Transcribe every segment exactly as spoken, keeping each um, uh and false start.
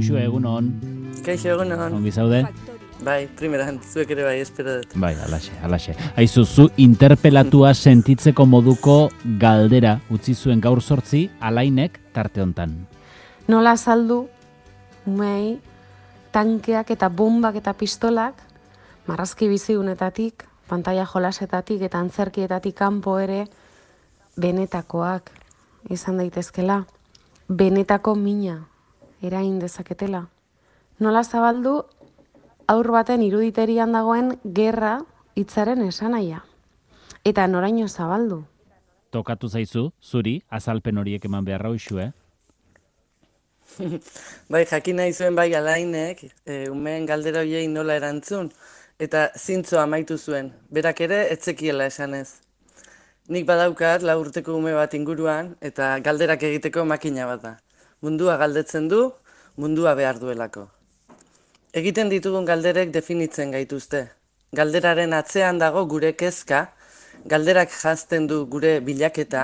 Uxue, egunon. Kaixo, egunon. Ongi zaude? Bai, primeran, zuek ere bai, espero dut. Bai, alaxe, alaxe. Aizu, zu interpelatua sentitzeko moduko galdera utzi zuen gaur sortzi, Alainek tarte hontan. Nola azaldu, umei, tankeak eta bombak eta pistolak, marrazki bizigunetatik, pantalla jolasetatik eta antzerkietatik kanpo ere, benetakoak izan daitezkela, benetako mina erain dezaketela. Nola zabaldu, aur baten iruditerian dagoen gerra hitzaren esanaia. Eta noraino zabaldu. Tokatu zaizu, zuri, azalpen horiek eman beharra Uxue. Bai, jakin nahi zuen bai Alainek, e, umeen galdera hoiei nola erantzun, eta zintzo amaitu zuen, berak ere etzekiela esanez. Nik badaukat lau urteko ume bat inguruan, eta galderak egiteko makina bat da. Mundua galdetzen du, mundua behar duelako. Egiten ditugun galderek definitzen gaituzte. Galderaren atzean dago gure kezka, galderak jazten du gure bilaketa,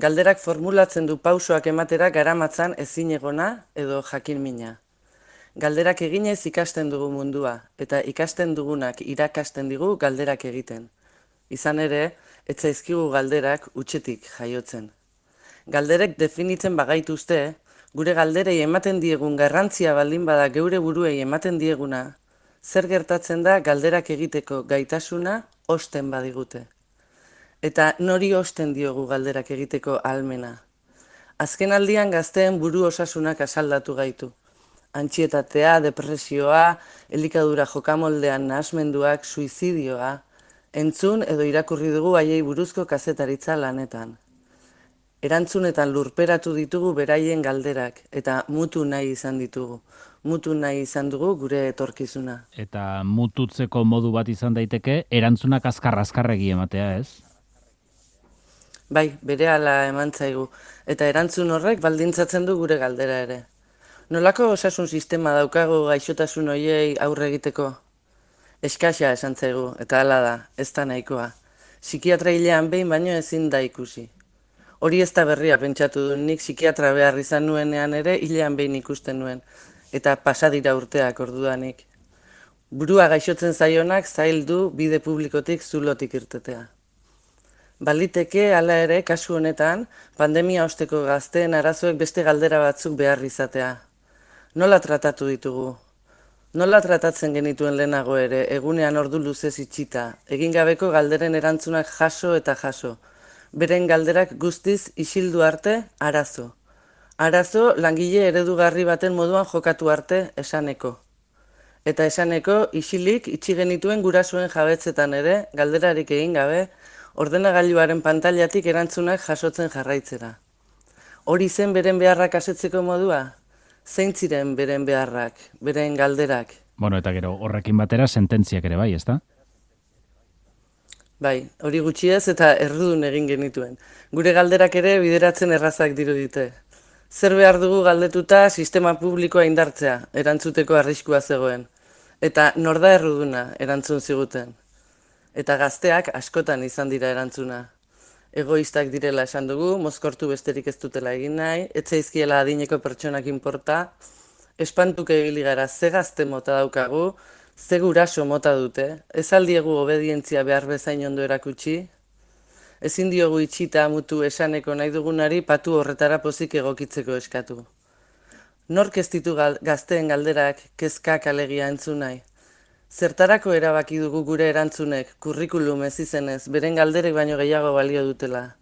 galderak formulatzen du pausoak ematera garamatzan ezinegona edo jakinmina. Galderak eginez ikasten dugu mundua, eta ikasten dugunak irakasten digu galderak egiten. Izan ere, ez zaizkigu galderak utxetik jaiotzen. Galderek definitzen bagaituzte, gure galderei ematen diegun garrantzia baldin bada geure buruei ematen dieguna, zer gertatzen da galderak egiteko gaitasuna osten badigute. Eta nori osten diogu galderak egiteko ahalmena. Azken aldian gazteen buru osasunak asaldatu gaitu. Antsietatea, depresioa, elikadura jokamoldean nahasmenduak, suizidioa, entzun edo irakurri dugu haiei buruzko kazetaritza lanetan. Erantzunetan lurperatu ditugu beraien galderak, eta mutu nahi izan ditugu. Mutu nahi izan dugu gure etorkizuna. Eta mututzeko modu bat izan daiteke, erantzunak azkar-azkarregi ematea, ez? Bai, berehala eman zaigu, eta erantzun horrek baldintzatzen du gure galdera ere. Nolako osasun sistema daukagu gaixotasun hoiei aurre egiteko? Eskaxa esan zaigu, eta hala da, ez da nahikoa. Psikiatra hilean behin baino ezin da ikusi. Hori ez da berria pentsatu du, nik psikiatra behar izan nuenean ere hilean behin ikusten nuen, eta pasadira urteak ordudanik. Burua gaixotzen zaionak zail du bide publikotik zulotik irtetea. Baliteke, hala ere, kasu honetan, pandemia osteko gazteen arazoek beste galdera batzuk behar izatea. Nola tratatu ditugu? Nola tratatzen genituen lehenago ere, egunean ordu luzez itxita, egin gabeko galderen erantzunak jaso eta jaso. Beren galderak guztiz isildu arte, arazo. Arazo langile eredugarri baten moduan jokatu arte esaneko. Eta esaneko isilik itxi genituen gurasoen jabetzetan ere, galderarik egin gabe, ordenagailuaren pantailatik erantzunak jasotzen jarraitzera. Hori zen beren beharrak asetzeko modua? Zein ziren beren beharrak, beren galderak? Bueno, eta gero horrekin batera sententziak ere bai, ezta? Bai, hori gutxiez eta errudun egin genituen. Gure galderak ere bideratzen errazak dirudite. Zer behar dugu galdetuta sistema publikoa indartzea, erantzuteko arriskua zegoen. Eta nor da erruduna erantzun ziguten. Eta gazteak askotan izan dira erantzuna. Egoistak direla esan dugu, mozkortu besterik ez dutela egin nahi, ez zaizkiela adineko pertsonak inporta, espantuke ibili gara ze gazte mota daukagu, ze guraso mota dute, ez aldiegu obedientzia behar bezain ondo erakutsi, ezin diogu itxita mutu esaneko nahi dugunari patu horretara pozik egokitzeko eskatu. Nork ez ditu gazteen galderak kezkak alegia entzun nahi? Zertarako erabaki dugu gure erantzunek, kurrikulum ez izenez, beren galderek baino gehiago balio dutela.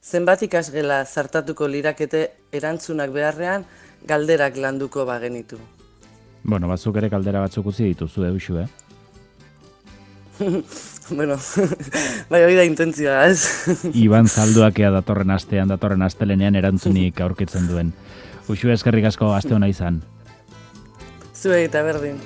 Zenbat ikasgela zartatuko lirakete erantzunak beharrean, galderak landuko bagenitu. Bueno, batzuk ere galdera batzuk utzi dituzu, Uxue, eh? Bueno, bai hori da intentzioa, ez? Iban Zalduakea datorren astean, datorren astelenean erantzunik aurkitzen duen. Uxue, eskerrik asko aste hona izan. Zuei eta berdin.